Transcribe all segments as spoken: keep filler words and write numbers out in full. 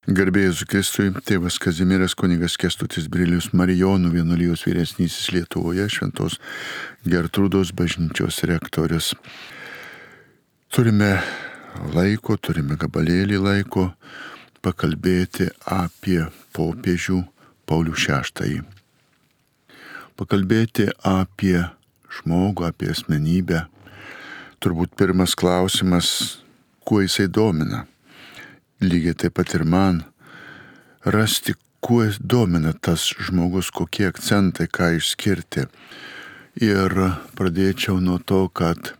Garbė Jėzui Kristui, tėvas Kazimieras kunigas Kęstutis Brilius Marijonų vienuolijos vyresnysis Lietuvoje, Šventos Gertrūdos bažnyčios rektorius. Turime laiko, turime gabalėlį laiko pakalbėti apie popiežių Paulių šeštąjį. Pakalbėti apie žmogų, apie asmenybę. Turbūt pirmas klausimas, kuo jisai domina. Lygiai taip pat ir man rasti, kuo domina tas žmogus, kokie akcentai, ką išskirti. Ir pradėčiau nuo to, kad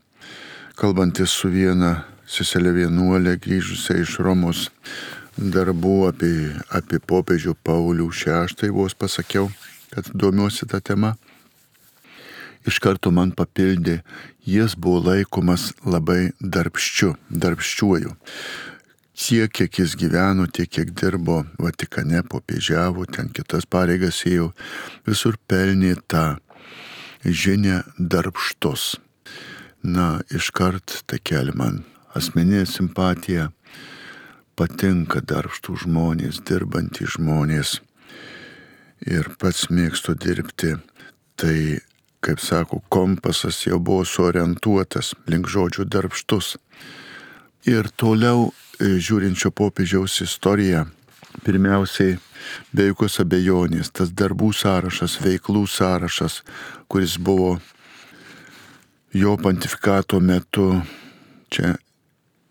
kalbantis su viena seselė vienuolė grįžusia iš Romos darbų apie, apie popiežių Paulių šeštąjį, vos pasakiau, kad domiuosi tą temą. Iš karto man papildė, jis buvo laikomas labai darbščiu, darbščiuoju. Tiek, kiek jis gyveno, tiek, kiek dirbo Vatikane, popiežiavo, ten kitas pareigas ėjo, visur pelnė tą žinią darbštus. Na, iškart tai kelia man asmeninė simpatija, patinka darbštų žmonės, dirbantys žmonės ir pats mėgstu dirbti. Tai, kaip sako, kompasas jau buvo suorientuotas link žodžių darbštus. Ir toliau žiūrinčio popiežiaus istoriją, pirmiausiai be jokios abejonės tas darbų sąrašas, veiklų sąrašas, kuris buvo jo pontifikato metu, čia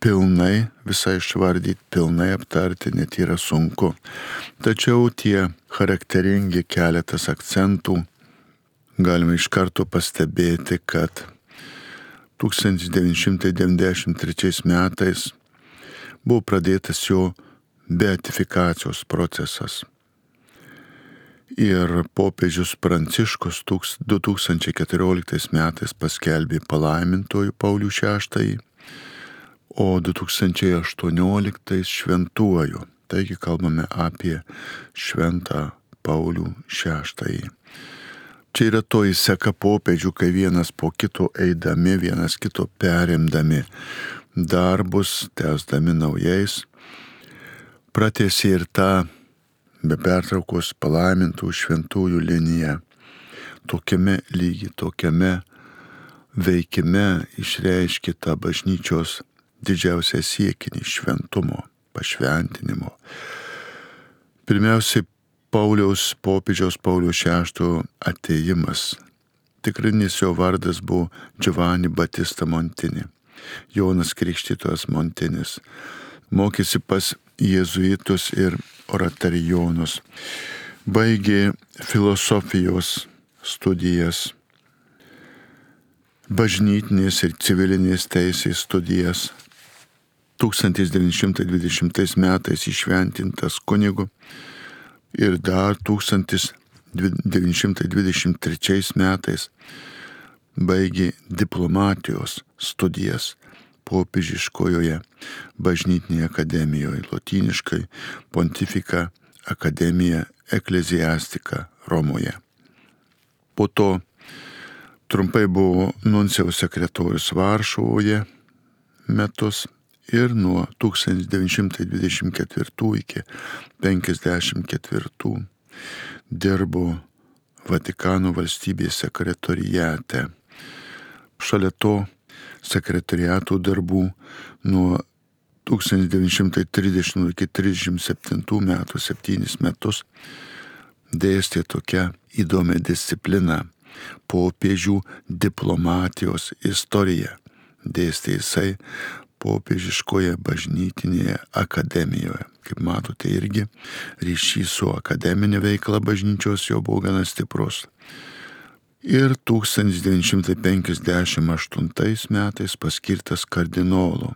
pilnai visai išvardyti, pilnai aptarti net yra sunku. Tačiau tie charakteringi keletas akcentų galime iš karto pastebėti, kad tūkstantis devyni šimtai devyniasdešimt trečiais metais buvo pradėtas jo beatifikacijos procesas. Ir popiežius Pranciškus du tūkstančiai keturioliktais metais paskelbė palaimintuoju Paulių šeštąjį, o du tūkstančiai aštuonioliktais šventuoju. Taigi kalbame apie šventą Paulių šeštąjį. Čia yra toji seka popiežių, kai vienas po kito eidami, vienas kito perimdami darbus, tęsdami naujais, pratęsė ir tą be pertraukos palaimintų šventųjų liniją. Tokiame lygi, tokiame veikime išreiškė tą bažnyčios didžiausią siekinį šventumo, pašventinimo. Pirmiausiai Pauliaus, popiežiaus Pauliaus šeštojo atėjimas. Tikrinis jo vardas buvo Giovanni Battista Montini. Jonas Krikštytojas Montinis. Mokėsi pas jėzuitus ir oratorijonus. Baigė filosofijos studijas, bažnytinės ir civilinės teisės studijas. tūkstantis devyni šimtai dvidešimtais metais įšventintas kunigu ir dar tūkstantis devyni šimtai dvidešimt trečiais metais baigė diplomatijos studijas popiežiškojoje bažnytinėje akademijoje, lotyniškai Pontifika Academia Ecclesiastica Romoje. Po to trumpai buvo nuncijaus sekretorius Varšuvoje metus ir nuo tūkstantis devyni šimtai dvidešimt ketvirtų iki penkiasdešimt ketvirtų dirbo Vatikano valstybės sekretoriate. Šalia to sekretoriato darbų nuo tūkstantis devyni šimtai trisdešimt iki trisdešimt septintų metų, septynis metus, dėstė tokia įdomi disciplina - popiežių diplomatijos istorija. Dėstė jisai popiežiškoje bažnytinėje akademijoje. Kaip matote, irgi ryšys su akademinė veikla bažnyčios jo buvo gana stiprus. Ir tūkstantis devyni šimtai penkiasdešimt aštuntais metais paskirtas kardinolu.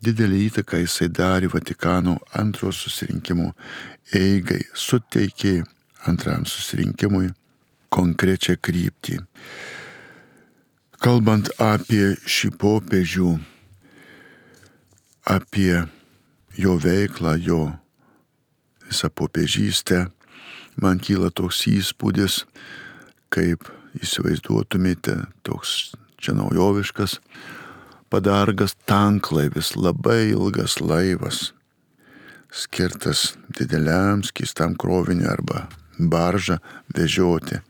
Didelį įtaką jisai darė Vatikano antrojo susirinkimo eigai, suteikė antram susirinkimui konkrečią kryptį. Kalbant apie šį popiežių, apie jo veiklą, jo visą popiežystę, man kyla toks įspūdis, kaip įsivaizduotumėte, toks čia naujoviškas padargas tanklaivis, labai ilgas laivas, skirtas dideliam skystam kroviniui arba baržą vežioti.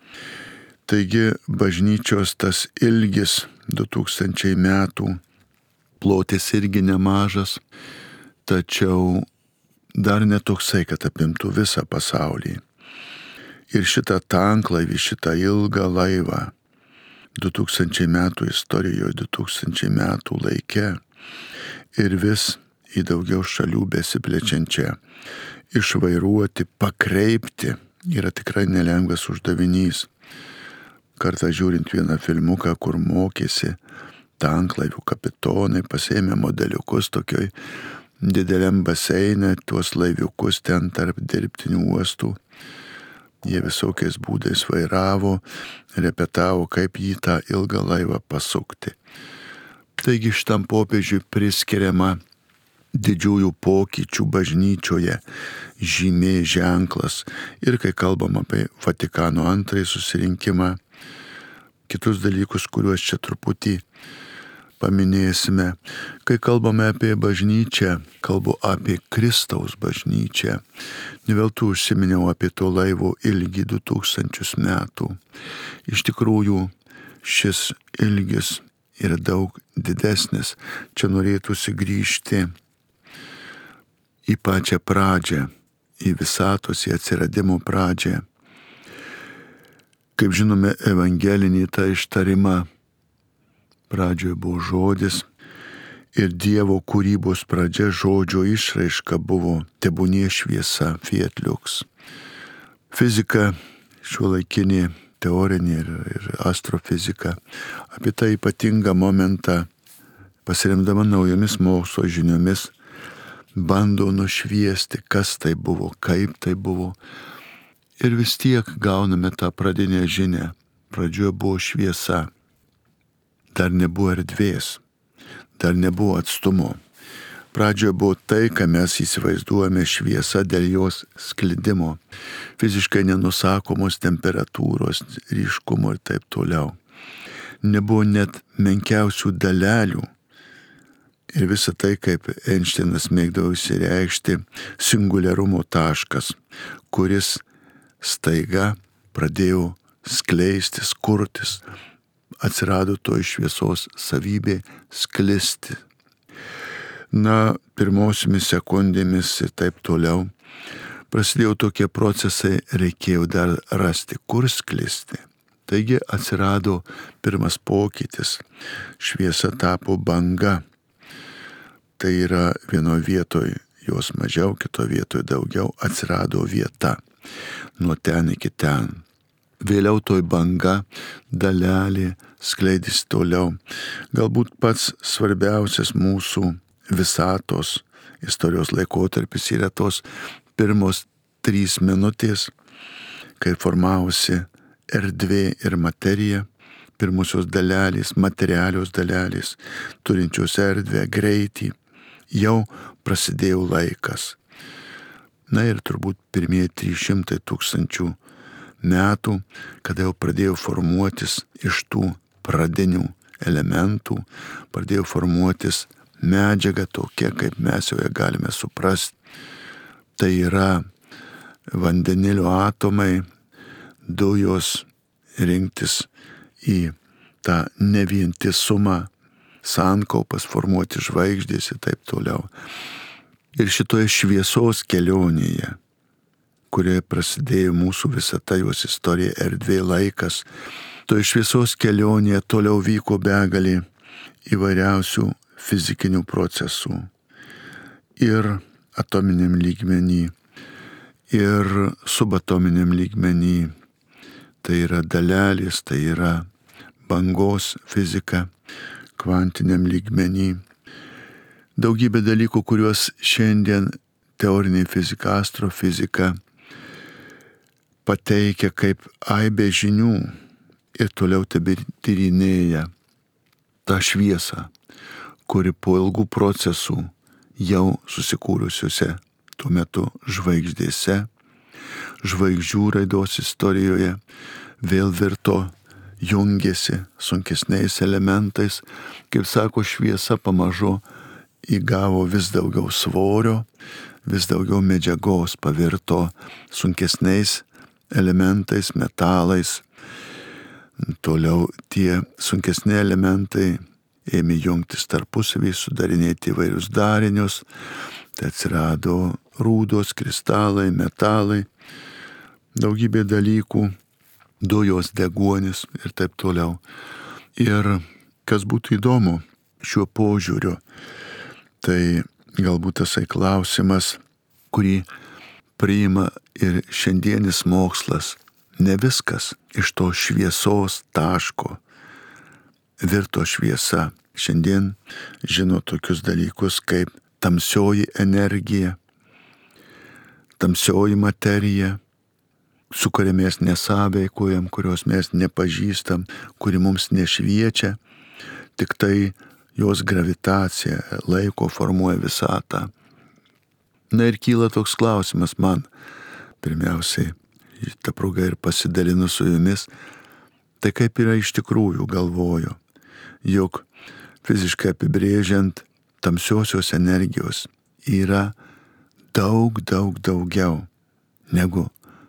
Taigi bažnyčios tas ilgis du tūkstančiai metų, plotis irgi nemažas, tačiau dar netoksai, kad apimtų visą pasaulį. Ir šitą tanklaivį, šitą ilgą laivą du tūkstančiai metų istorijoje, du tūkstančiai metų laike ir vis į daugiau šalių besiplečiančią išvairuoti, pakreipti yra tikrai nelengvas uždavinys. Kartą žiūrint vieną filmuką, kur mokėsi tanklaivių kapitonai, pasėmė modeliukus tokioj dideliam baseine, tuos laiviukus ten tarp dirbtinių uostų. Jie visokiais būdais vairavo, repetavo, kaip jį tą ilgą laivą pasukti. Taigi šitam popiežiui priskiriama didžiųjų pokyčių bažnyčioje žymė, ženklas. Ir kai kalbam apie Vatikano antrąjį susirinkimą, kitus dalykus, kuriuos čia truputį paminėsime. Kai kalbame apie bažnyčią, kalbu apie Kristaus bažnyčią. Ne veltui užsiminiau apie to laivo ilgį du tūkstančius metų. Iš tikrųjų, šis ilgis yra daug didesnis. Čia norėtųsi grįžti į pačią pradžią, į visatos, į atsiradimo pradžią. Kaip žinome, evangelinį tą ištarimą pradžioje buvo žodis ir Dievo kūrybos pradžia, žodžio išraiška buvo tebūnie šviesa, fiat lux. Fizika, šiuolaikinė teorinė ir, ir astrofizika, apie tą ypatingą momentą, pasiremdama naujomis mokslo žiniomis, bando nušviesti, kas tai buvo, kaip tai buvo. Ir vis tiek gauname tą pradinę žinią. Pradžioje buvo šviesa. Dar nebuvo erdvės, dar nebuvo atstumo. Pradžioje buvo tai, ką mes įsivaizduojame šviesa dėl jos sklidimo, fiziškai nenusakomos temperatūros, ryškumo ir taip toliau. Nebuvo net menkiausių dalelių. Ir visa tai, kaip Einšteinas mėgdavo išsireikšti, singuliarumo taškas, kuris staiga pradėjo skleistis, kurtis. Atsirado to iš šviesos savybė sklisti. Na, pirmosiomis sekundėmis ir taip toliau prasidėjo tokie procesai, reikėjo dar rasti, kur sklisti. Taigi atsirado pirmas pokytis. Šviesa tapo banga. Tai yra vienoje vietoje jos mažiau, kitoje vietoje daugiau, atsirado vieta. Nuo ten iki ten. Vėliau toj banga, dalelė, skleidys toliau. Galbūt pats svarbiausias mūsų visatos istorijos laikotarpis yra tos pirmos trys minutės, kai formavosi erdvė ir materija, pirmusios dalelės, materialios dalelės, turinčios erdvę, greitį, jau prasidėjo laikas. Na ir turbūt pirmieji trys šimtai tūkstančių metų, kada jau pradėjo formuotis iš tų pradinių elementų, pradėjo formuotis medžiaga tokia, kaip mes jau ją galime suprasti. Tai yra vandenilio atomai, dujos, rinktis į tą nevientisumą, sankaupas, formuoti žvaigždės ir taip toliau. Ir šitoje šviesos kelionėje, kurioje prasidėjo mūsų visata, jos istorija, erdvė, laikas. Toje šviesos kelionėje toliau vyko begalė įvairiausių fizikinių procesų. Ir atominiam lygmenį, ir subatominiam lygmenį. Tai yra dalelės, tai yra bangos fizika, kvantiniam lygmenį. Daugybė dalykų, kuriuos šiandien teorinė fizika, astrofizika pateikia kaip aibė žinių ir toliau tebetyrinėja tą šviesą, kuri po ilgų procesų jau susikūrusiuose tuo metu žvaigždėse, žvaigždžių raidos istorijoje vėl virto, jungėsi sunkesniais elementais, kaip sako, šviesa pamažu įgavo vis daugiau svorio, vis daugiau medžiagos pavirto sunkesniais elementais, metalais. Toliau tie sunkesni elementai ėmė jungtis tarpusavį, sudarinėti įvairius darinius. Tai atsirado rūdos, kristalai, metalai, daugybė dalykų, dujos, deguonis ir taip toliau. Ir kas būtų įdomu šiuo požiūriu, tai galbūt tasai klausimas, kurį priima ir šiandienis mokslas, ne viskas iš to šviesos taško virto šviesa. Šiandien žino tokius dalykus kaip tamsioji energija, tamsioji materija, su kuria mes nesąveikojam, kurios mes nepažįstam, kuri mums nešviečia, tik tai jos gravitacija laiko formuoja visatą. Na ir kyla toks klausimas man, pirmiausiai, ta proga ir pasidalinu su jumis, tai kaip yra iš tikrųjų, galvoju, jog fiziškai apibrėžiant tamsiosios energijos yra daug, daug daugiau negu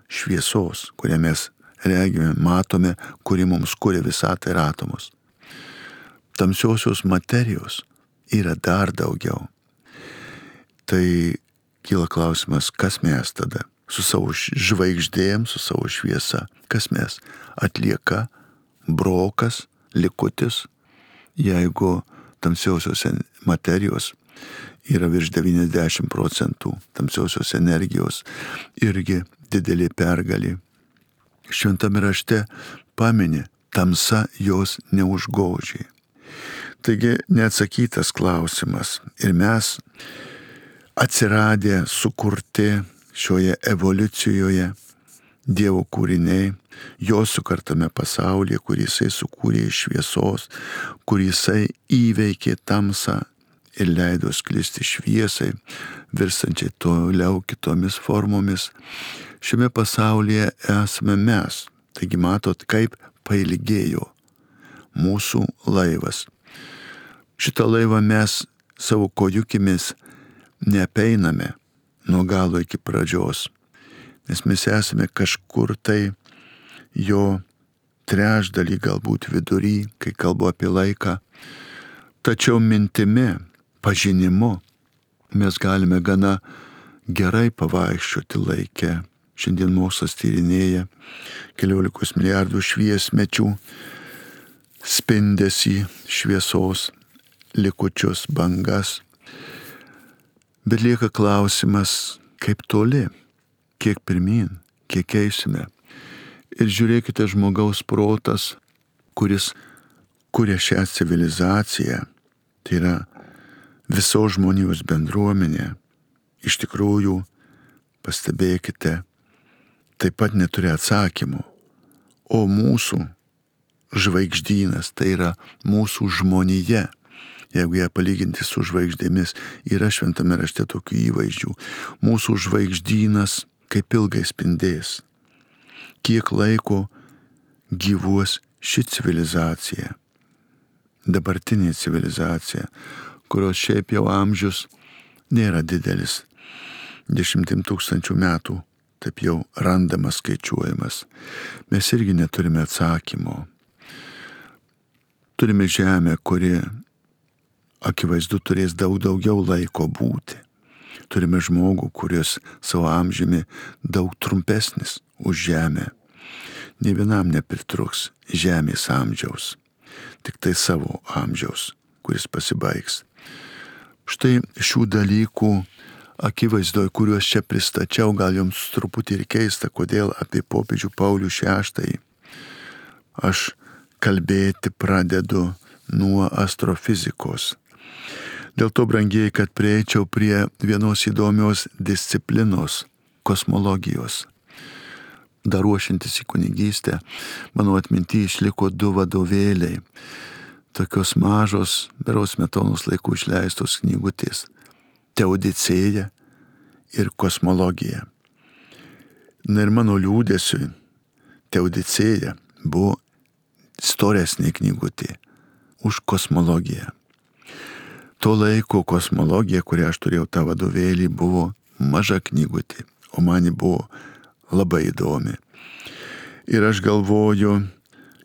šviesos, kurią mes regime, matome, kuri mums kuria visatą ir atomus. Tamsiosios materijos yra dar daugiau. Tai kyla klausimas, kas mes tada? Su savo žvaigždėm, su savo šviesa. Kas mes? Atlieka, brokas, likutis, jeigu tamsiosios materijos yra virš devyniasdešimt procentų, tamsiosios energijos irgi didelė pergalė. Šventame rašte pamini, tamsa jos neužgožė. Taigi neatsakytas klausimas. Ir mes atsiradę, sukurti šioje evoliucijoje Dievo kūriniai, jo sukartame pasaulyje, kurį jisai sukūrė iš šviesos, kurį jisai įveikė tamsą ir leido sklisti šviesai, virstančiai toliau kitomis formomis. Šiame pasaulyje esame mes. Taigi matot, kaip pailgėjo mūsų laivas. Šitą laivą mes savo kojukimis neapeiname nuo galo iki pradžios, nes mes esame kažkur tai jo trečdalį, galbūt vidury, kai kalbu apie laiką. Tačiau mintimi, pažinimu mes galime gana gerai pavaikščioti laike. Šiandien mokslas tyrinėja keliolikos milijardų šviesmečių spindesį, šviesos likučius, bangas. Bet lieka klausimas, kaip toli, kiek pirmyn, kiek eisime. Ir žiūrėkite, žmogaus protas, kuris kuria šią civilizaciją, tai yra visos žmonijos bendruomenė, iš tikrųjų, pastebėkite, taip pat neturi atsakymų. O mūsų žvaigždynas, tai yra mūsų žmonija, jeigu ją palyginti su žvaigždėmis, yra šventame rašte tokių įvaizdžių. Mūsų žvaigždynas kaip ilgai spindės. Kiek laiko gyvuos ši civilizacija, dabartinė civilizacija, kurios šiaip jau amžius nėra didelis, dešimtim tūkstančių metų, taip jau randamas, skaičiuojamas. Mes irgi neturime atsakymo. Turime žemę, kuri akivaizdu turės daug daugiau laiko būti. Turime žmogų, kuris savo amžiumi daug trumpesnis už žemę. Nė vienam nepritruks žemės amžiaus, tik tai savo amžiaus, kuris pasibaigs. Štai šių dalykų akivaizdoj, kuriuos čia pristačiau, gal jums truputį ir keista, kodėl apie popiežių Paulių šeštąjį aš kalbėti pradedu nuo astrofizikos. Dėl to, brangieji, kad prieičiau prie vienos įdomios disciplinos – kosmologijos. Dar ruošiantis į kunigystę, mano atminty išliko du vadovėliai, tokios mažos, berods Smetonos laikų išleistos knygutės – Teodicėja ir kosmologija. Na ir mano liūdesiui Teodicėja buvo storesnė knygutė už kosmologiją. To laiko kosmologija, kurią aš turėjau tą vadovėlį, buvo maža knygutė, o man ji buvo labai įdomi. Ir aš galvoju,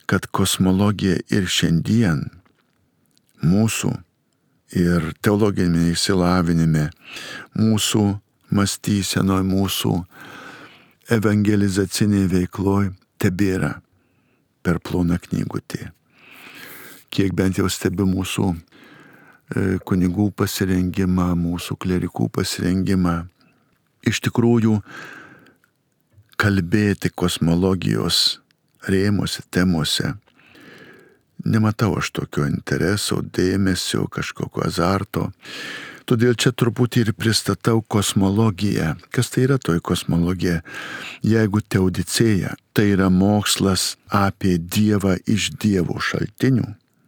kad kosmologija ir šiandien mūsų ir teologinėme išsilavinime, mūsų mąstysenoje, mūsų evangelizacinėje veikloje tebėra per ploną knygutė. Kiek bent jau stebi mūsų kunigų pasirengimą, mūsų klerikų pasirengimą, iš tikrųjų kalbėti kosmologijos rėmuose, temose, nematau aš tokio intereso, dėmesio, kažkokio azarto. Todėl čia truputį ir pristatau kosmologiją. Kas tai yra toji kosmologija? Jeigu teodicėja, tai yra mokslas apie Dievą iš Dievo šaltinių,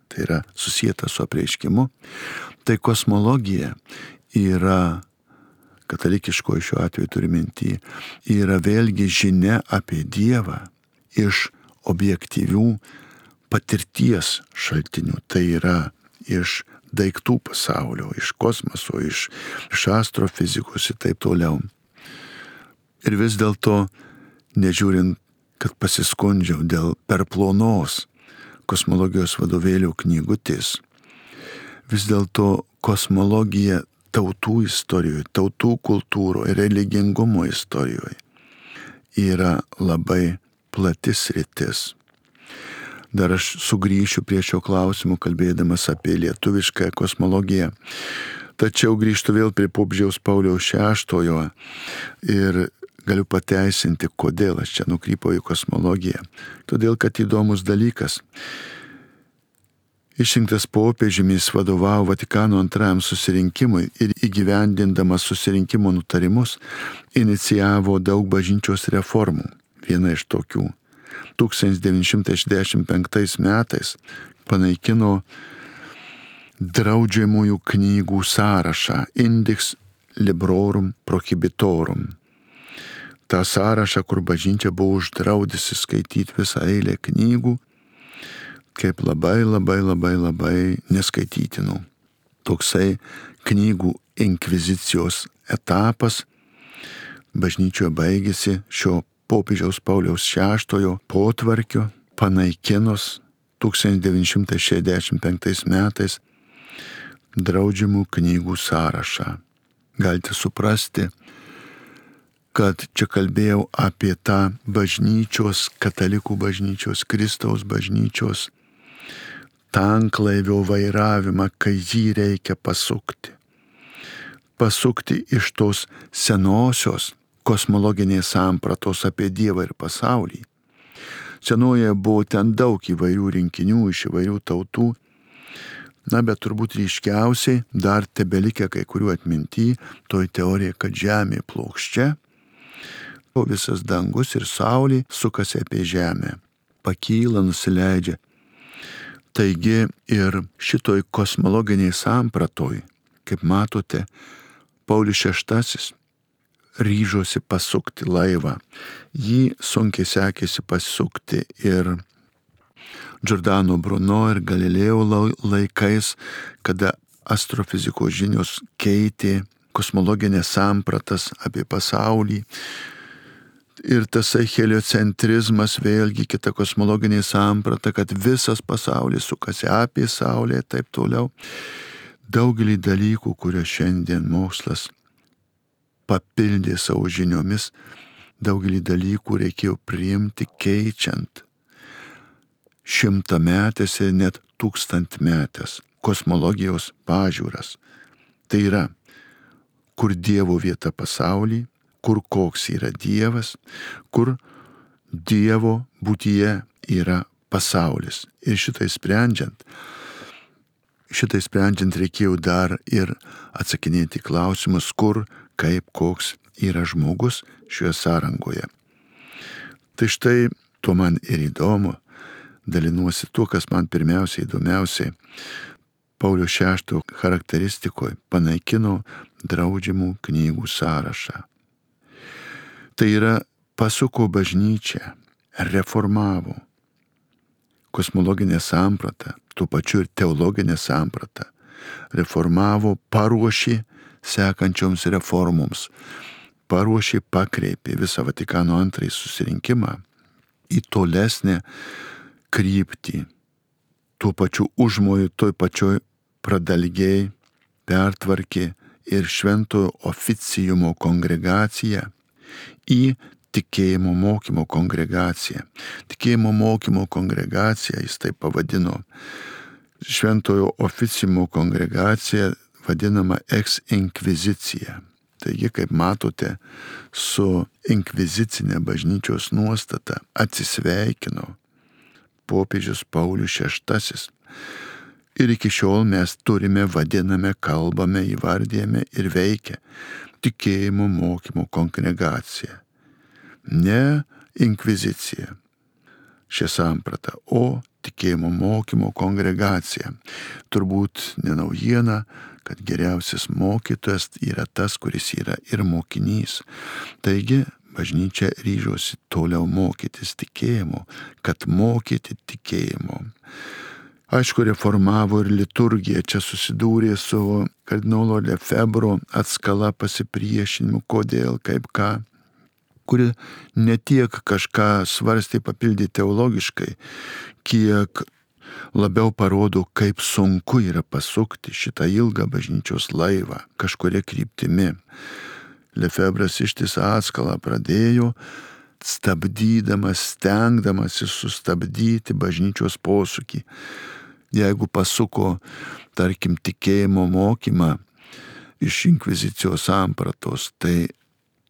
tai yra susijęta su apreiškimu, tai kosmologija yra, katalikiškoji šiuo atveju turi minty, yra vėlgi žinia apie Dievą iš objektyvių patirties šaltinių, tai yra iš daiktų pasaulio, iš kosmoso, iš, iš astrofizikos ir taip toliau. Ir vis dėlto, nežiūrint, kad pasiskundžiau dėl per plonos kosmologijos vadovėlių knygutės, vis dėlto kosmologija tautų istorijoje, tautų kultūroje, religingumo istorijoje yra labai plati sritis. Dar aš sugrįšiu prie šio klausimo, kalbėdamas apie lietuvišką kosmologiją. Tačiau grįžtu vėl prie popiežiaus Pauliaus šeštojo ir galiu pateisinti, kodėl aš čia nukrypau į kosmologiją. Todėl, kad įdomus dalykas. Išrinktas popiežimis vadovavo Vatikano antrajam susirinkimui ir įgyvendindamas susirinkimo nutarimus inicijavo daug bažnyčios reformų. Viena iš tokių. tūkstantis devyni šimtai šešiasdešimt penktais metais panaikino draudžiamųjų knygų sąrašą Index Librorum Prohibitorum. tą sąrašą, kur bažnyčia buvo uždraudusi skaityti visą eilę knygų, kaip labai, labai, labai, labai neskaitytinų. Toksai knygų inkvizicijos etapas bažnyčioje baigėsi šio popiežiaus Pauliaus šeštojo potvarkio panaikinus tūkstantis devyni šimtai šešiasdešimt penktais metais draudžiamų knygų sąrašą. Galite suprasti, kad čia kalbėjau apie tą bažnyčios, katalikų bažnyčios, Kristaus bažnyčios tanklaivio vairavimą, kai jį reikia pasukti. Pasukti iš tos senosios kosmologinės sampratos apie Dievą ir pasaulį. Senoje buvo ten daug įvairių rinkinių iš įvairių tautų, na, bet turbūt ryškiausiai dar tebelikę kai kurių atminty toj teorija, kad Žemė plokščia, o visas dangus ir saulė sukasi apie Žemę, pakyla, nusileidžia. Taigi ir šitoj kosmologiniai sampratoj, kaip matote, Paulius šeštasis ryžosi pasukti laivą. Jį sunkiai sekėsi pasukti ir Giordano Bruno ir Galilėjo laikais, kada astrofizikos žinios keitė kosmologinės sampratas apie pasaulį. Ir tasai heliocentrizmas, vėlgi kita kosmologinė samprata, kad visas pasaulis sukasi apie Saulę ir taip toliau. Daugelį dalykų, kuriuos šiandien mokslas papildė savo žiniomis, daugelį dalykų reikėjo priimti keičiant šimtametės ir net tūkstantmetės kosmologijos pažiūras. Tai yra, kur Dievo vieta pasauly, kur koks yra Dievas, kur Dievo būtyje yra pasaulis. Ir šitai sprendžiant, šitai sprendžiant reikėjo dar ir atsakinėti klausimus, kur, kaip, koks yra žmogus šioje sąrangoje. Tai štai tuo man ir įdomu, dalinuosi tuo, kas man pirmiausiai įdomiausiai Pauliaus šeštojo charakteristikoje panaikino draudžiamų knygų sąrašą. Tai yra pasuko bažnyčią, reformavo kosmologinę sampratą, tuo pačiu ir teologinę sampratą, reformavo, paruošė sekančioms reformoms. paruošė, pakreipė visą Vatikano antrąjį susirinkimą į tolesnę kryptį. Tuo pačiu užmoju, toj pačioj pradalgiai pertvarkė ir šventojo oficijumo kongregaciją į tikėjimo mokymo kongregaciją. Tikėjimo mokymo kongregaciją jis taip pavadino. Šventojo oficijumo kongregacija vadinama ex inkvizicija. Taigi, kaip matote, su inkvizicinė bažnyčios nuostata atsisveikino popiežius Paulius šeštasis. Ir iki šiol mes turime, vadiname, kalbame, įvardėjame ir veikia tikėjimo mokymo kongregacija. Ne inkvizicija, šią sampratą, o tikėjimo mokymo kongregacija. Turbūt ne naujiena, kad geriausias mokytojas yra tas, kuris yra ir mokinys. Taigi, bažnyčia ryžosi toliau mokytis tikėjimo, kad mokyti tikėjimo. Aišku, reformavo ir liturgiją, čia susidūrė su kardinolo Lefebvro atskala pasipriešinimu, kodėl, kaip ką, kuri ne tiek kažką svarstė papildyti teologiškai, kiek labiau parodo, kaip sunku yra pasukti šitą ilgą bažnyčios laivą kažkuria kryptimi. Lefebvras ištisą atskalą pradėjo, stabdydamas, stengdamasis sustabdyti bažnyčios posūkį. Jeigu pasuko, tarkim, tikėjimo mokymą iš inkvizicijos sampratos, tai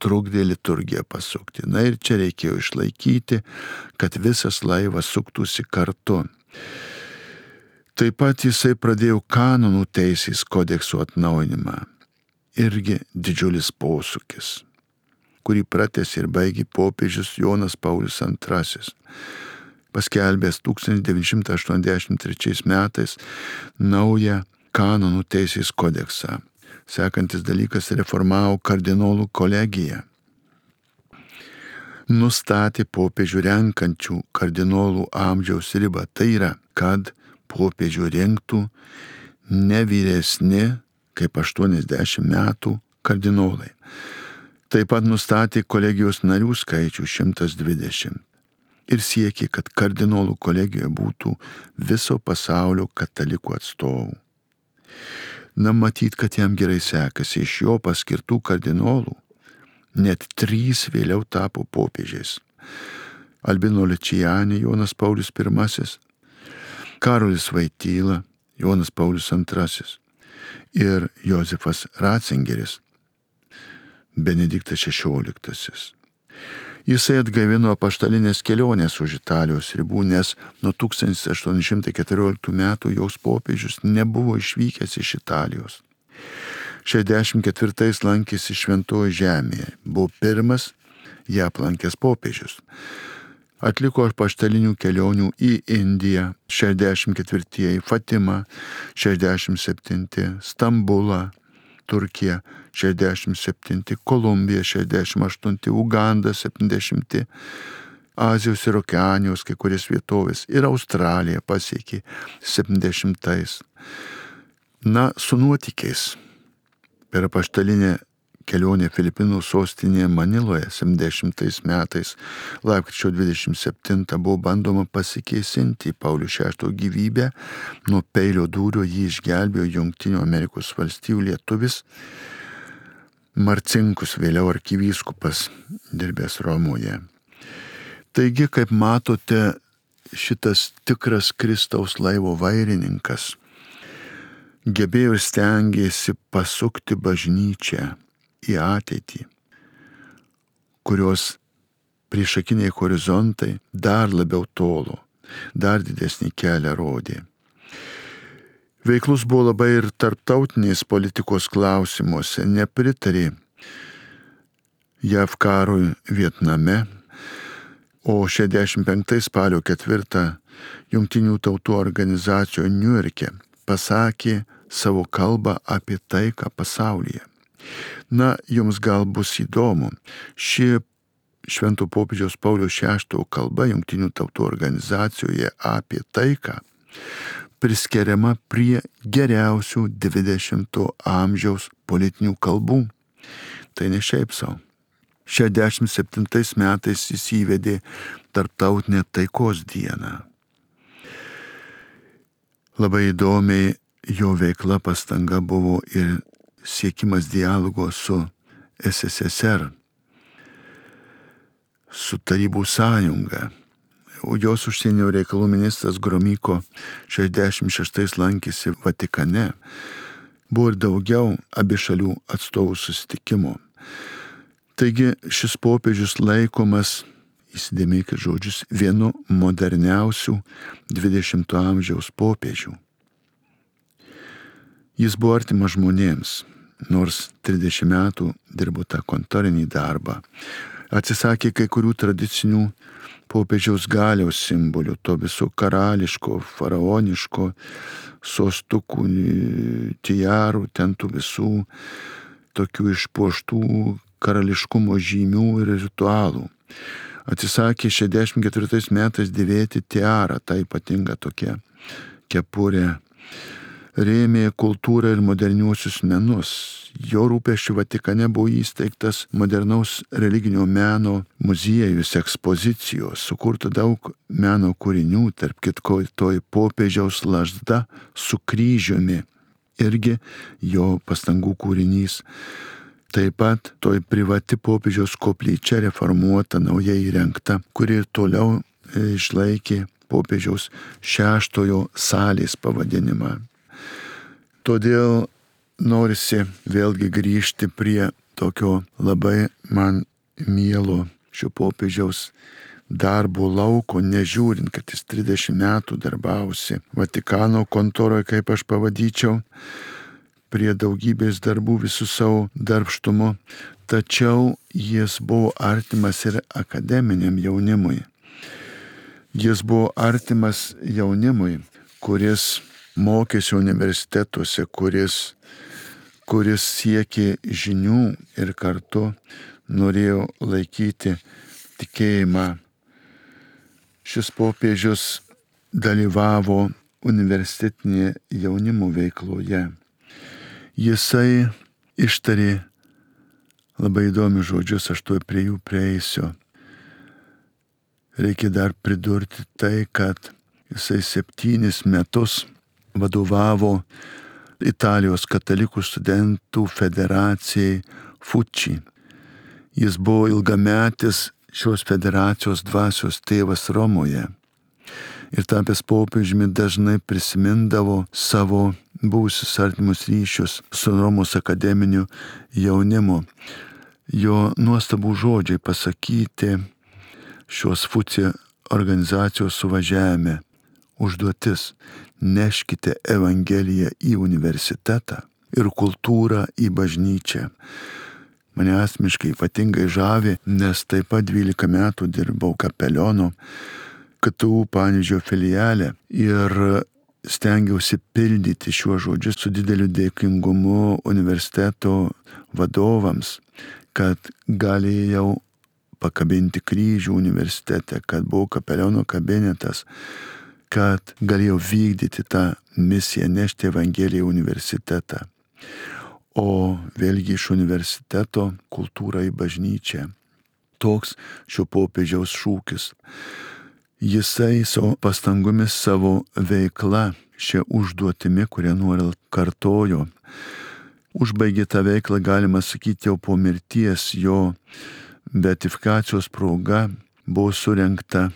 trukdė liturgiją pasukti. Na ir čia reikėjo išlaikyti, kad visas laivas suktųsi kartu. Taip pat jisai pradėjo kanonų teisės kodeksų atnaujinimą. Irgi didžiulis posūkis, kurį pratęsė ir baigė popiežius Jonas Paulius antrasis. Paskelbęs tūkstantis devyni šimtai aštuoniasdešimt trečiais metais naują kanonų teisės kodeksą. Sekantis dalykas reformavo kardinolų kolegiją. Nustatė popiežių renkančių kardinolų amžiaus ribą. Tai yra, kad popiežių rinktų ne vyresni kaip aštuoniasdešimt metų kardinolai. Taip pat nustatė kolegijos narių skaičių šimtas dvidešimt. Ir siekė, kad kardinolų kolegijoje būtų viso pasaulio katalikų atstovų. Na, matyt, kad jam gerai sekasi, iš jo paskirtų kardinolų net trys vėliau tapo popiežiais. Albino Luciani, Jonas Paulius pirmasis, Karolis Voityla, Jonas Paulius antrasis ir Jozefas Ratzingeris, Benediktas šešioliktasis. Jisai atgaivino apaštalinės kelionės už Italijos ribų, nes nuo tūkstantis aštuoni šimtai keturioliktų metų jos popiežius nebuvo išvykęs iš Italijos. šešiasdešimt ketvirtais lankėsi Šventojoje žemėje, buvo pirmas ją aplankęs popiežius. Atliko apaštalinių kelionių į Indiją, šešiasdešimt ketvirtieji Fatimą, šešiasdešimt septinti Stambulą, Turkija, šešiasdešimt septinti Kolumbija, šešiasdešimt aštunti Uganda, septyniasdešimti Azijos ir Okeanijos kai kurias vietovės ir Australija pasiekė septyniasdešimtais. Na, su nuotykiais. Per apaštalinę kelionę Filipinų sostinėje Maniloje septyniasdešimtais metais lapkričio dvidešimt septintą buvo bandoma pasikėsinti į Paulių šeštojo gyvybę. Nuo peilio dūrio jį išgelbėjo Jungtinių Amerikos valstijų lietuvis Marcinkus, vėliau arkivyskupas, dirbęs Romoje. Taigi, kaip matote, šitas tikras Kristaus laivo vairininkas gebėjo ir stengėsi pasukti bažnyčią į ateitį, kurios priešakiniai horizontai dar labiau tolo, dar didesnį kelią rodė. Veiklus buvo labai ir tarptautinės politikos klausimuose, nepritarė J A V karui Vietname, o šešiasdešimt penktais spalio ketvirtą Jungtinių tautų organizacijoje Niujorke pasakė savo kalbą apie taiką pasaulyje. Na, jums gal bus įdomu, ši Švento popiežiaus Pauliaus šeštojo kalba Jungtinių tautų organizacijoje apie taiką priskiriama prie geriausių dvidešimto amžiaus politinių kalbų. Tai ne šiaip savo. šešiasdešimt septintais metais jis įvedė Tarptautinę taikos dieną. Labai įdomiai jo veikla pastanga buvo ir siekimas dialogo su S S S R, su Tarybų sąjunga. O jos užsienio reikalų ministras Gromyko šešiasdešimt šeštais lankėsi Vatikane. Buvo ir daugiau abi šalių atstovų susitikimo. Taigi šis popiežius laikomas, įsidėmėkit žodžius, vienu moderniausių dvidešimto amžiaus popiežių. Jis buvo artimas žmonėms, nors trisdešimt metų dirbo tą kontorinį darbą. Atsisakė kai kurių tradicinių popiežiaus galiaus simbolių, to viso karališko, faraoniško, sostukų, tijarų, ten tų visų tokių išpuoštų karališkumo žymių ir ritualų. Atsisakė šešiasdešimt ketvirtais metais dėvėti tiarą, ta ypatinga tokia kepurė. Rėmė kultūrą ir moderniuosius menus. Jo rūpesčiu Vatikane buvo įsteigtas modernaus religinio meno muziejus, ekspozicijos, sukurta daug meno kūrinių, tarp kitko toj popiežiaus lazda su kryžiumi, irgi jo pastangų kūrinys. Taip pat toj privati popiežiaus koplyčia reformuota, naujai įrengta, kuri ir toliau išlaikė popiežiaus šeštojo salės pavadinimą. Todėl norisi vėlgi grįžti prie tokio labai man mielo šio popiežiaus darbo lauko, nežiūrint, kad jis trisdešimt metų darbavosi Vatikano kontoroje, kaip aš pavadinčiau, prie daugybės darbų visų savo darbštumu, tačiau jis buvo artimas ir akademiniam jaunimui. Jis buvo artimas jaunimui, kuris mokėsi universitetuose, kuris, kuris siekė žinių ir kartu norėjo laikyti tikėjimą. Šis popiežius dalyvavo universitetinėje jaunimo veikloje. Jisai ištarė labai įdomius žodžius, aš tuoj prie jų prieisiu. Reikia dar pridurti tai, kad jisai septynis metus vadovavo Italijos katalikų studentų federacijai Fuči. Jis buvo ilgametis šios federacijos dvasios tėvas Romoje. Ir tapęs popiežiumi dažnai prisimindavo savo buvusius artimus ryšius su Romos akademiniu jaunimu. Jo nuostabų žodžiai pasakyti šios Fuči organizacijos suvažiavime. Užduotis: neškite Evangeliją į universitetą ir kultūrą į bažnyčią. Mane asmeniškai ypatingai žavi, nes taip pat dvylika metų dirbau kapelionu K T U Panevėžio filiale ir stengiausi pildyti šiuos žodžius su dideliu dėkingumu universiteto vadovams, kad galėjau pakabinti kryžių universitete, kad buvo kapeliono kabinetas, kad galėjau vykdyti tą misiją, nešti Evangeliją į universitetą. O vėlgi iš universiteto kultūra į bažnyčią. Toks šio popiežiaus šūkis. Jisai savo pastangomis, savo veikla, šia užduotimi, kurią nuolat kartojo, užbaigė tą veiklą, galima sakyti, jau po mirties. Jo beatifikacijos proga buvo surengta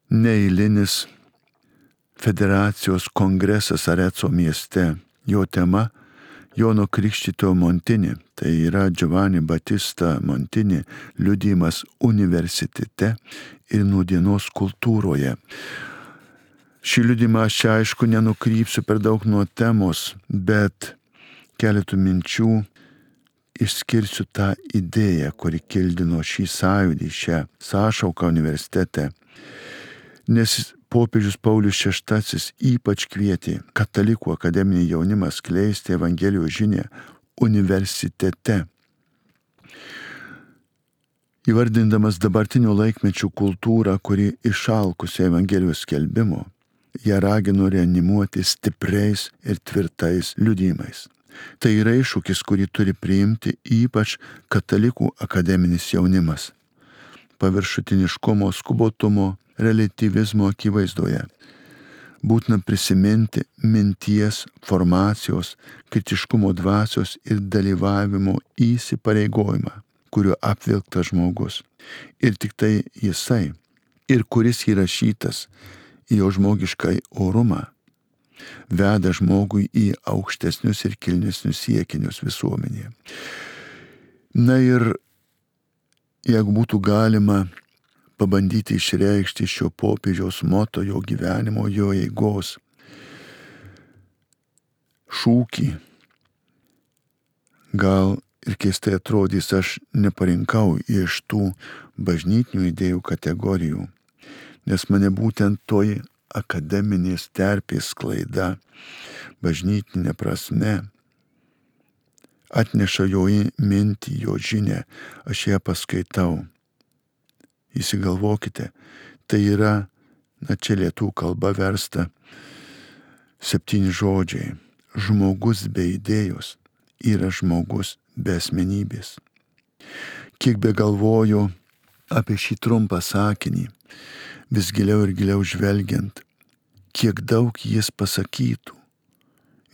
neeilinis federacijos kongresas Areco mieste. Jo tema Jono Krikštytojo Montini, tai yra Giovanni Battista Montini liudijimas universitete ir nūdienos kultūroje. Šį liudijimą aš čia aišku nenukrypsiu per daug nuo temos, bet keletų minčių išskirsiu tą idėją, kuri kildino šį sąjūdį, šią sąšauką universitete. Nes popiežius Paulius šeštasis ypač kvietė katalikų akademinį jaunimą skleisti Evangelijos žinią universitete. Įvardindamas dabartinio laikmečio kultūrą, kuri išalkusi Evangelijos skelbimo, ją ragino reanimuoti stipriais ir tvirtais liudijimais. Tai yra iššūkis, kurį turi priimti ypač katalikų akademinis jaunimas. Paviršutiniškumo, skubotumo, relativizmo akivaizdoje. Būtina prisiminti minties, formacijos, kritiškumo dvasios ir dalyvavimo įsipareigojimą, kuriuo apvilktas žmogus. Ir tik tai jisai, ir kuris įrašytas į jo žmogišką orumą, veda žmogui į aukštesnius ir kilnesnius siekinius visuomenėje. Na ir jeigu būtų galima pabandyti išreikšti šio popiežiaus moto, jo gyvenimo, jo eigos šūkį, gal ir keistai atrodys, aš neparinkau iš tų bažnytinių idėjų kategorijų, nes mane būtent toji akademinės terpės sklaida, bažnytinė prasme, atneša jo mintį, jo žinią, aš ją paskaitau. Įsigalvokite, tai yra, na čia lietuvių kalba versta, septyni žodžiai. Žmogus be idėjos yra žmogus be asmenybės. Kiek be galvoju apie šį trumpą sakinį, vis giliau ir giliau žvelgiant, kiek daug jis pasakytų,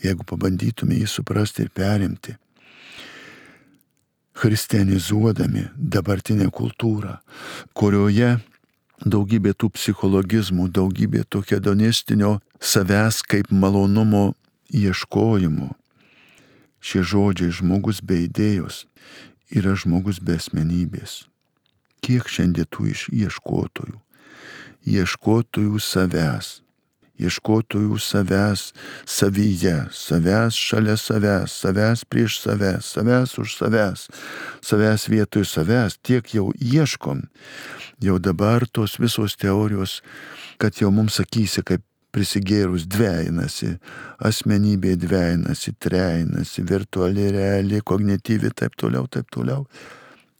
jeigu pabandytume jį suprasti ir perimti, christianizuodami dabartinę kultūrą, kurioje daugybė tų psichologizmų, daugybė to hedonistinio savęs kaip malonumo ieškojimo. Šie žodžiai žmogus be idėjos yra žmogus be asmenybės. Kiek šiandien tų ieškotojų? Ieškotojų savęs. Ieškotojų savęs savyje, savęs šalia savęs, savęs prieš savęs, savęs už savęs, savęs vietoj savęs, tiek jau ieškom, jau dabar tos visos teorijos, kad jau mums sakysi, kaip prisigėrus dvejinasi, asmenybė dvejinasi, trejinasi, virtuali, reali, kognityvi, taip toliau, taip toliau.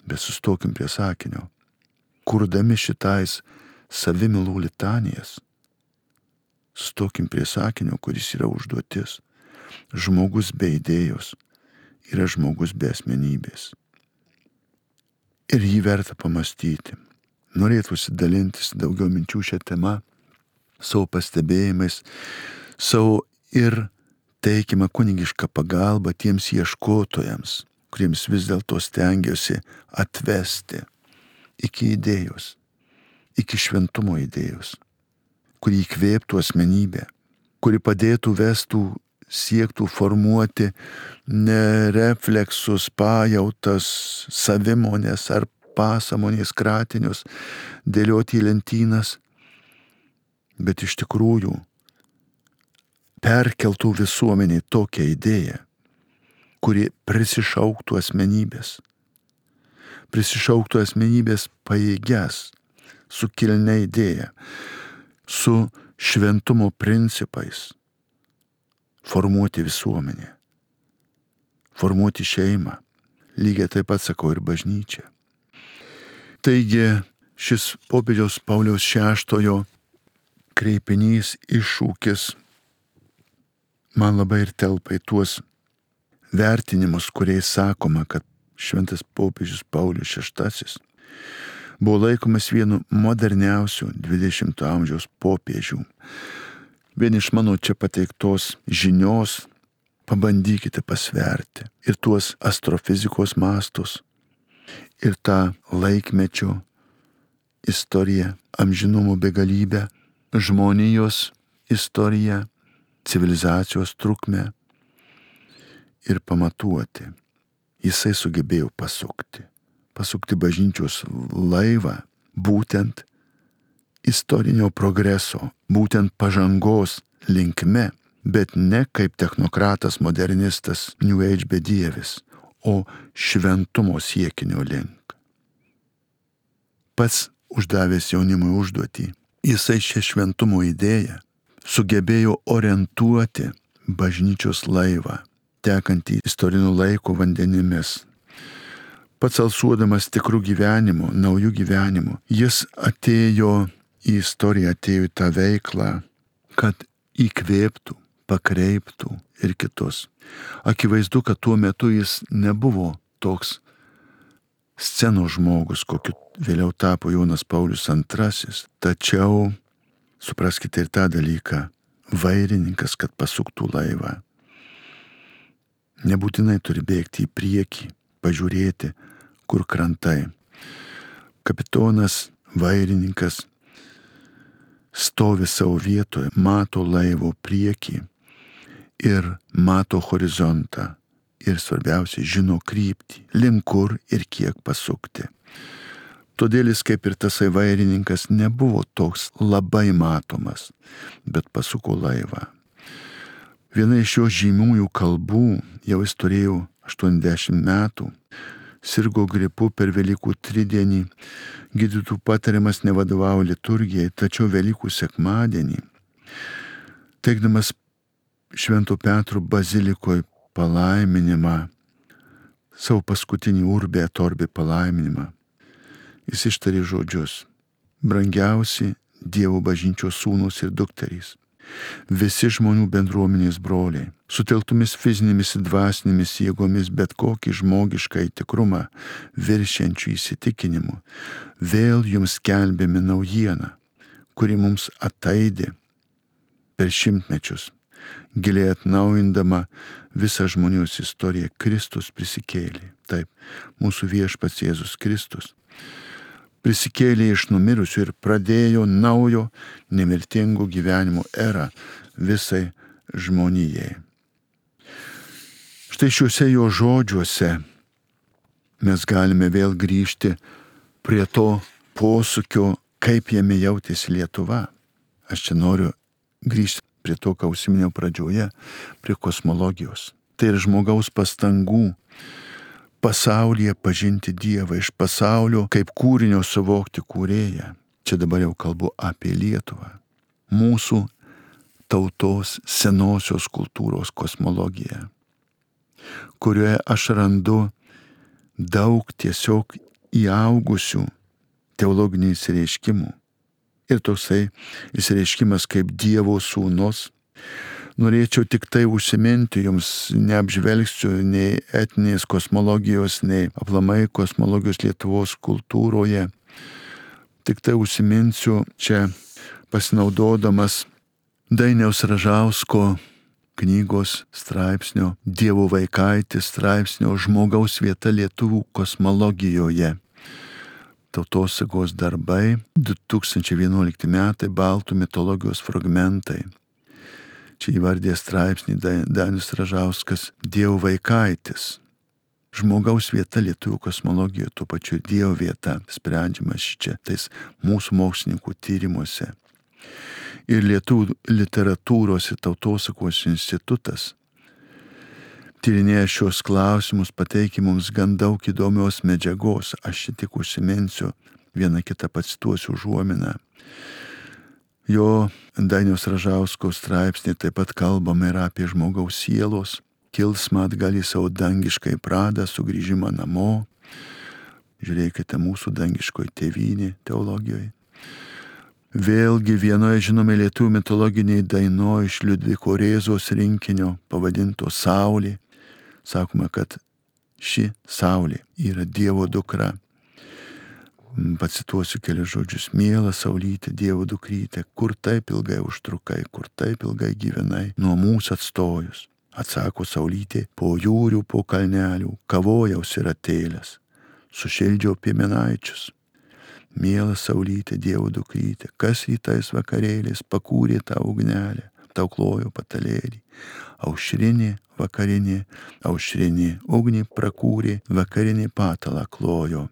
Bet sustokim prie sakinio. Kurdami šitais savimylų litanijas, stokim prie sakinio, kuris yra užduotis. Žmogus be idėjos yra žmogus be asmenybės. Ir jį verta pamastyti. Norėtųsi dalintis daugiau minčių šią temą, savo pastebėjimais, savo ir teikimą kunigišką pagalbą tiems ieškotojams, kuriems vis dėlto stengiuosi atvesti iki idėjos, iki šventumo idėjos, kuri įkvėptų asmenybę, kuri padėtų vestų, siektų formuoti ne refleksus, pajautas, savimonės ar pasamonės kratinius, dėlioti į lentynas, bet iš tikrųjų perkeltų visuomeniai tokią idėją, kuri prisišauktų asmenybės, prisišauktų asmenybės pajėgias, su kilnia idėja, su šventumo principais formuoti visuomenę, formuoti šeimą, lygiai taip pat sakau ir bažnyčią. Taigi šis popiežiaus Pauliaus šeštojo kreipinys, iššūkis man labai ir telpa į tuos vertinimus, kuriais sakoma, kad šventas popiežius Paulius šeštasis buvo laikomas vienu moderniausių dvidešimto amžiaus popiežių. Vien iš mano čia pateiktos žinios pabandykite pasverti ir tuos astrofizikos mastus, ir tą laikmečio istoriją, amžinumo begalybę, žmonijos istoriją, civilizacijos trukmę ir pamatuoti. Jisai sugebėjo pasukti. pasukti bažnyčios laivą būtent istorinio progreso, būtent pažangos linkme, bet ne kaip technokratas, modernistas, New Age bedievis, o šventumo siekinio link. Pats uždavęs jaunimui užduotį, jisai šią šventumo idėją sugebėjo orientuoti bažnyčios laivą, tekantį istorinių laikų vandenimis. Pats alsuodamas tikrų gyvenimo, naujų gyvenimų, jis atėjo į istoriją, atėjo į tą veiklą, kad įkvėptų, pakreiptų ir kitus. Akivaizdu, kad tuo metu jis nebuvo toks scenos žmogus, kokiu vėliau tapo Jonas Paulius antrasis. Tačiau, supraskite ir tą dalyką, vairininkas, kad pasuktų laivą, nebūtinai turi bėgti į priekį, pažiūrėti, kur krantai. Kapitonas, vairininkas stovi savo vietoje, mato laivo priekį ir mato horizontą. Ir svarbiausia, žino kryptį, link kur ir kiek pasukti. Todėl jis, kaip ir tasai vairininkas, nebuvo toks labai matomas, bet pasuko laivą. Viena iš jo žymiųjų kalbų, jau jis turėjo aštuoniasdešimt metų, sirgo gripu per Velykų tridienį, gydytojų patariamas nevadovavo liturgijai, tačiau Velykų sekmadienį, teikdamas Švento Petro bazilikoje palaiminimą, savo paskutinį urbė et orbė palaiminimą, jis ištarė žodžius: brangiausi Dievo bažnyčios sūnus ir dukterys, visi žmonių bendruomenės broliai, sutelktomis fizinėmis ir dvasinėmis jėgomis bet kokį žmogišką tikrumą viršiančių įsitikinimu, vėl jums skelbėme naujieną, kuri mums ataidė per šimtmečius, giliai atnaujindama visą žmonijos istoriją. Kristus prisikėlė. Taip, mūsų viešpats Jėzus Kristus prisikėlė iš numirusių ir pradėjo naujo nemirtingo gyvenimo erą visai žmonijai. Štai šiuose jo žodžiuose mes galime vėl grįžti prie to posūkio, kaip jame jautėsi Lietuva. Aš čia noriu grįžti prie to, ką užsiminiau pradžioje, prie kosmologijos. Tai ir žmogaus pastangų pasaulyje pažinti Dievą, iš pasaulio kaip kūrinio suvokti kūrėją. Čia dabar jau kalbu apie Lietuvą. Mūsų tautos senosios kultūros kosmologiją, kurioje aš randu daug tiesiog įaugusių teologinių įsireiškimų. Ir toksai įsireiškimas kaip Dievo sūnus. Norėčiau tik tai užsiminti, jums neapžvelgsiu nei etinės kosmologijos, nei aplamai kosmologijos Lietuvos kultūroje. Tik tai užsiminsiu čia pasinaudodamas Dainiaus Ražausko knygos straipsnio Dievo vaikaitis straipsnio Žmogaus vieta lietuvių kosmologijoje. Tautosakos darbai, du tūkstančiai vienuolikti metai, baltų mitologijos fragmentai. Čia įvardė straipsnį Dainius Ražauskas Dievo vaikaitis. Žmogaus vieta lietuvių kosmologijoje, tuo pačiu Dievo vieta, sprendžiamas čia tais mūsų mokslininkų tyrimuose. Ir Lietuvių literatūros ir tautosakos institutas tyrinėja šios klausimus, pateikia mums gan daug įdomios medžiagos. Aš čia tik užsiminsiu, vieną kitą pacituosiu užuominą. Jo Dainiaus Ražausko straipsnė taip pat kalbama ir apie žmogaus sielos kilsmą atgal į savo dangiškai pradą, sugrįžimą namo. Žiūrėkite mūsų dangiškoji tėvynė teologijoje. Vėlgi vienoje žinome lietuvių mitologiniai dainoje iš Liudviko Rėzos rinkinio pavadinto Saulė. Sakoma, kad ši Saulė yra Dievo dukra. Pacituosiu kelius žodžius. Miela Saulytė, Dievo dukrytė, kur taip ilgai užtrukai, kur taip ilgai gyvenai, nuo mūsų atstojus. Atsako Saulytė, po jūrių, po kalnelių, kavojaus ir atėlės, sušildžiau piemenaičius. Miela Saulytė, Dievo dukrytė, kas rytais vakarėliais pakūrė tą ugnelę, tau klojo patalėlį. Aušrinė, vakarinė, aušrinė, ugnį prakūrė, vakarinė patalą klojo.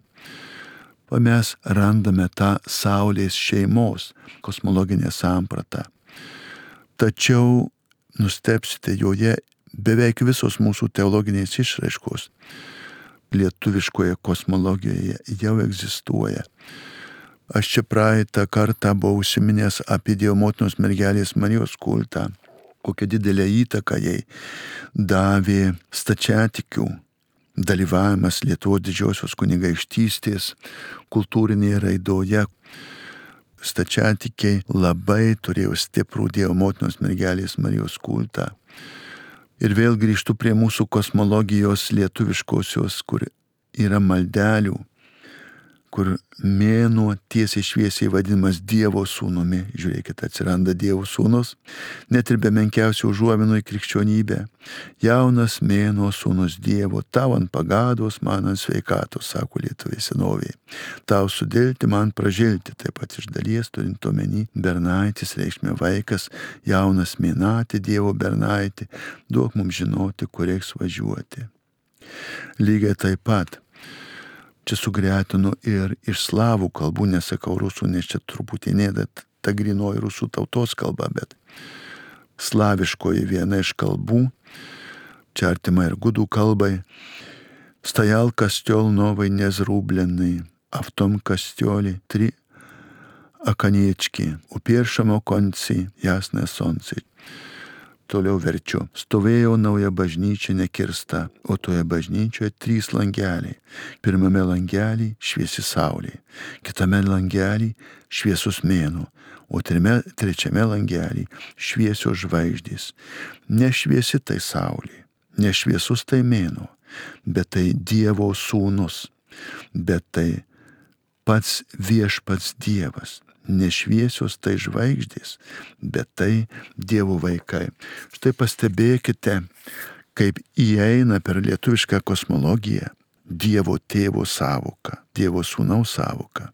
O mes randame tą Saulės šeimos kosmologinę sampratą. Tačiau nustebsite, joje beveik visos mūsų teologinės išraiškos lietuviškoje kosmologijoje jau egzistuoja. Aš čia praeitą kartą buvau užsiminęs apie Dievo motinos mergelės Marijos kultą, kokią didelę įtaką jai davė stačiatikių dalyvavimas Lietuvos didžiosios kunigaikštystės kultūrinėje raidoje. stačiatikiai labai turėjo stiprų Dievo motinos mergelės Marijos kultą. Ir vėl grįžtu prie mūsų kosmologijos lietuviškosios, kur yra maldelių, kur mėnuo tiesiai šviesiai vadinamas Dievo sūnumi. Žiūrėkit, atsiranda Dievo sūnus, net ir be menkiausių užuominų į krikščionybę. Jaunas mėnuo sūnus Dievo, tau ant pagados, man ant sveikatos, sako lietuviai senoviai. Tau sudilti, man pražilti, taip pat iš dalies turint omeny bernaitis, reikšmė vaikas, jaunas mėnatį, Dievo bernaitį, duok mums žinoti, kur reiks važiuoti. Lygiai taip pat čia sugretinu ir iš slavų kalbų, nesakau rusų, nes čia truputį nėda ta grinoji rusų tautos kalba, bet slaviškoji viena iš kalbų, čia artima ir gudų kalbai, stajal kostiol novai nezrublenai, a v tom kostolі tri akaniečki, u pierwszym okonci jasne sonci. Toliau verčiu. Stovėjo nauja bažnyčia nekirsta, o toje bažnyčioje trys langeliai. Pirmame langelį šviesi saulė, kitame langelį šviesus mėnuo, o trime, trečiame langelį šviesios žvaigždės. Nešviesi tai saulė, nešviesus tai mėnuo, bet tai Dievo sūnus, bet tai pats viešpats Dievas. Nešviesios tai žvaigždės, bet tai Dievo vaikai. Štai pastebėkite, kaip įeina per lietuvišką kosmologiją Dievo tėvo sąvoka, Dievo sūnaus sąvoka.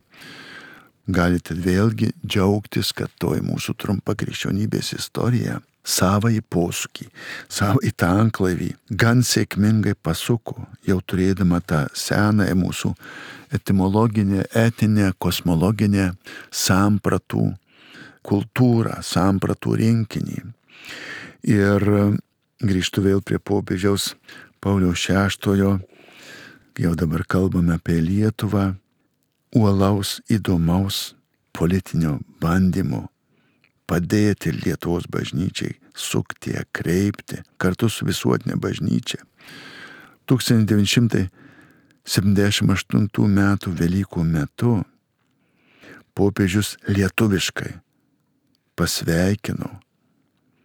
Galite vėlgi džiaugtis, kad toj mūsų trumpa krikščionybės istorija savąjį posūkį, savąjį tanklaivį gan sėkmingai pasuko, jau turėdama tą senąją mūsų etimologinę, etinę, kosmologinę sampratų kultūrą, sampratų rinkinį. Ir grįžtu vėl prie popiežiaus Pauliaus šeštojo, jau dabar kalbame apie Lietuvą, uolaus, įdomaus politinio bandymo padėti Lietuvos bažnyčiai sukti, kreipti kartu su visuotinė bažnyčia. tūkstantis devyni šimtai septyniasdešimt aštuntų metų Velykų metu popiežius lietuviškai pasveikino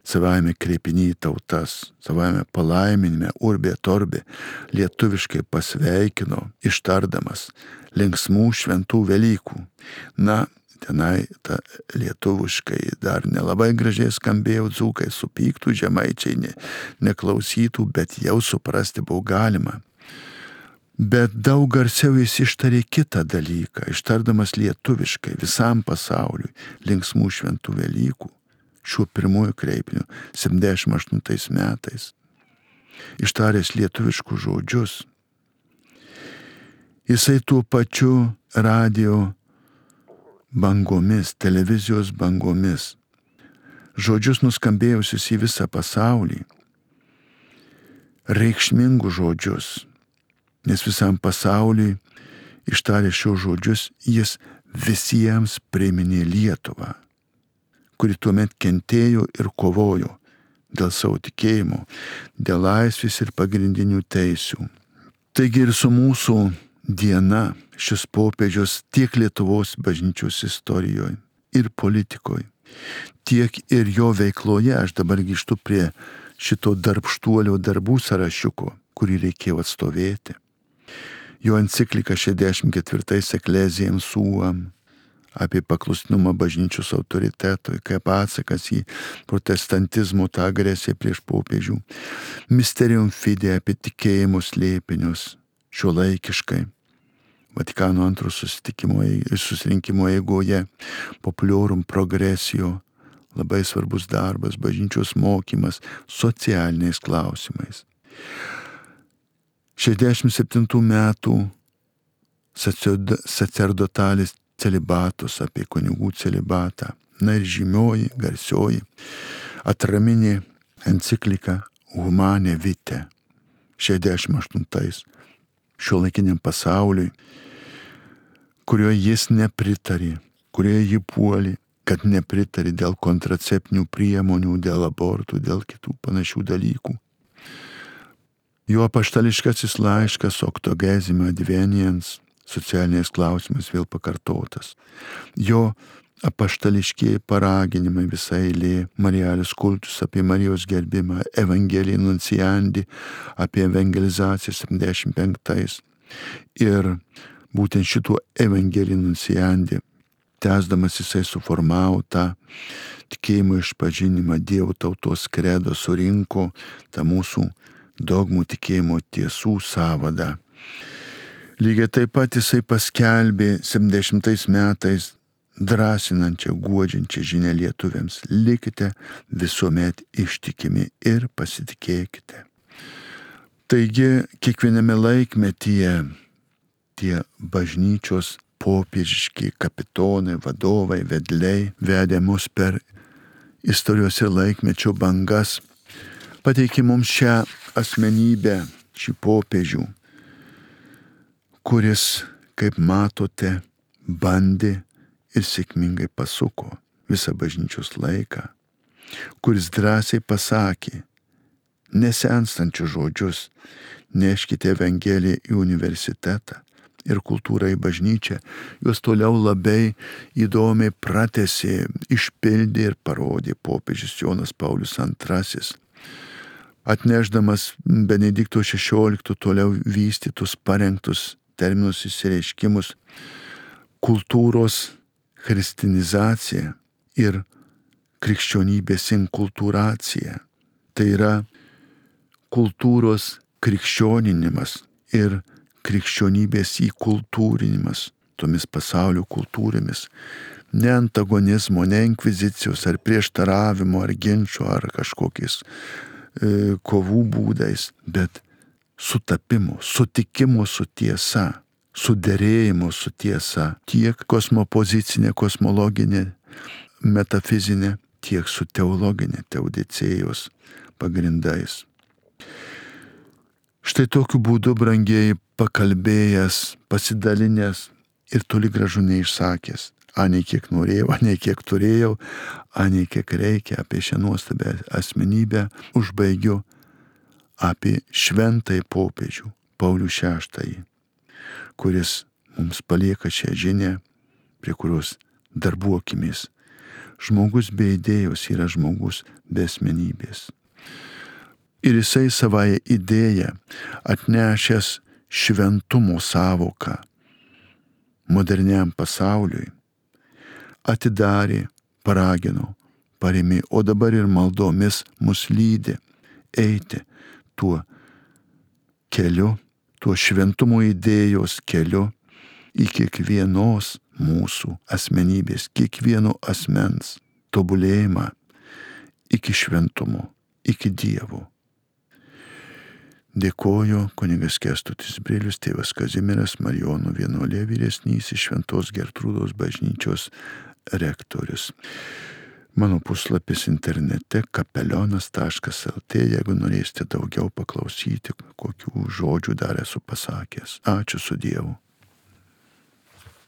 savame kreipiny tautas, savame palaiminime urbi et orbi lietuviškai pasveikino, ištardamas linksmų šventų Velykų. Na, tenai ta lietuviškai dar nelabai gražiai skambėjo, dzūkai supyktų, žemaičiai ne, neklausytų, bet jau suprasti buvo galima. Bet daug garsiau jis ištarė kitą dalyką, ištardamas lietuviškai visam pasauliui linksmų šventų Velykų. Šiuo pirmuoju kreipiniu septyniasdešimt aštuntais metais, ištaręs lietuviškus žodžius, jisai tuo pačiu radio bangomis, televizijos bangomis, žodžius nuskambėjusius į visą pasaulį, reikšmingus žodžius, nes visam pasauliui ištarė šios žodžius, jis visiems priminė Lietuvą, kuri tuomet kentėjo ir kovojo dėl savo tikėjimo, dėl laisvės ir pagrindinių teisių. Taigi ir su mūsų diena šis popiežius tiek Lietuvos bažnyčios istorijoje ir politikoje, tiek ir jo veikloje, aš dabar grįžtu prie šito darbštuolio darbų sąrašiuko, kurį reikėjo atstovėti. Jo enciklika šešiasdešimt ketvirtais Ecclesiam Suam apie paklusnumą bažnyčios autoritetui, kaip atsakas į protestantizmo tą agresiją prieš popiežių. Mysterium Fidei apie tikėjimo slėpinius, šiuolaikiškai. Vatikano antro susirinkimo eigoje, Populorum Progressio, labai svarbus darbas, bažnyčios mokymas socialiniais klausimais. šešiasdešimt septintų metų sacerdotalis celibatus, apie kunigų celibatą. Na ir žymioji, garsioji, atraminė enciklika Humane Vitae, šešiasdešimt aštuntais, šiuolaikiniam pasauliui, kurioje jis nepritarė, kurioje jį puolė, kad nepritarė dėl kontraceptinių priemonių, dėl abortų, dėl kitų panašių dalykų. Jo apaštališkasis laiškas Octogesima Adveniens socialiniais klausimais vėl pakartotas. Jo apaštališkieji paraginimai, visa eilė, Marialis kultus apie Marijos gerbimą, Evangelija Nunciandi apie evangelizaciją septyniasdešimt penktais. Ir būtent šituo Evangelija Nunciandi, tęsdamas jisai suformavo tą tikėjimo išpažinimą, Dievo tautos kredo, surinko tą mūsų dogmų tikėjimo tiesų sąvadą. Lygiai taip pat jisai paskelbė septyniasdešimtais metais drąsinančią, guodžiančią žinią lietuviams: likite visuomet ištikimi ir pasitikėkite. Taigi kiekviename laikmetyje tie bažnyčios popiežiški kapitonai, vadovai, vedliai vedė mus per istorijos ir laikmečio bangas, pateikė mums šią asmenybę, šį popiežių, kuris, kaip matote, bandė ir sėkmingai pasuko visą bažnyčios laiką, kuris drąsiai pasakė nesenstančius žodžius: neškite Evangeliją į universitetą ir kultūrą į bažnyčią. Juos toliau labai įdomiai pratęsė, išpildė ir parodė popiežius Jonas Paulius antrasis, atnešdamas Benedikto šešiolikto toliau vystytus, parengtus terminus, išsireiškimus: kultūros christianizacija ir krikščionybės inkultūracija. Tai yra kultūros krikščioninimas ir krikščionybės įkultūrinimas tomis pasaulio kultūromis. Ne antagonizmo, ne inkvizicijos ar prieštaravimo ar ginčio ar kažkokiais e, kovų būdais, bet sutapimo, sutikimo su tiesa, suderėjimo su tiesa, tiek kosmopozicinė, kosmologinė, metafizinė, tiek su teologinė, teodicėjos pagrindais. Štai tokiu būdu, brangieji, pakalbėjęs, pasidalinęs ir toli gražu neišsakęs, anei kiek norėjau, anei kiek turėjau, anei kiek reikia apie šią nuostabę asmenybę, užbaigiu apie šventąjį popiežių Paulių šeštąjį, kuris mums palieka šią žinią, prie kurios darbuokimės. Žmogus be idėjos yra žmogus be asmenybės. Ir jisai savąją idėją, atnešęs šventumo sąvoką moderniam pasauliui, atidarė, paragino, parėmė, o dabar ir maldomis mus lydi eiti tuo keliu, tuo šventumo idėjos keliu į kiekvienos mūsų asmenybės, kiekvieno asmens tobulėjimą iki šventumo, iki Dievo. Dėkoju kunigas Kęstutis Brilius, tėvas Kazimieras, Marijonų vienuolė vyresnysis, Šventos Gertrūdos bažnyčios rektorius. Mano puslapis internete kapelionas taškas lt, jeigu norėsite daugiau paklausyti, kokių žodžių dar esu pasakęs. Ačiū su Dievu.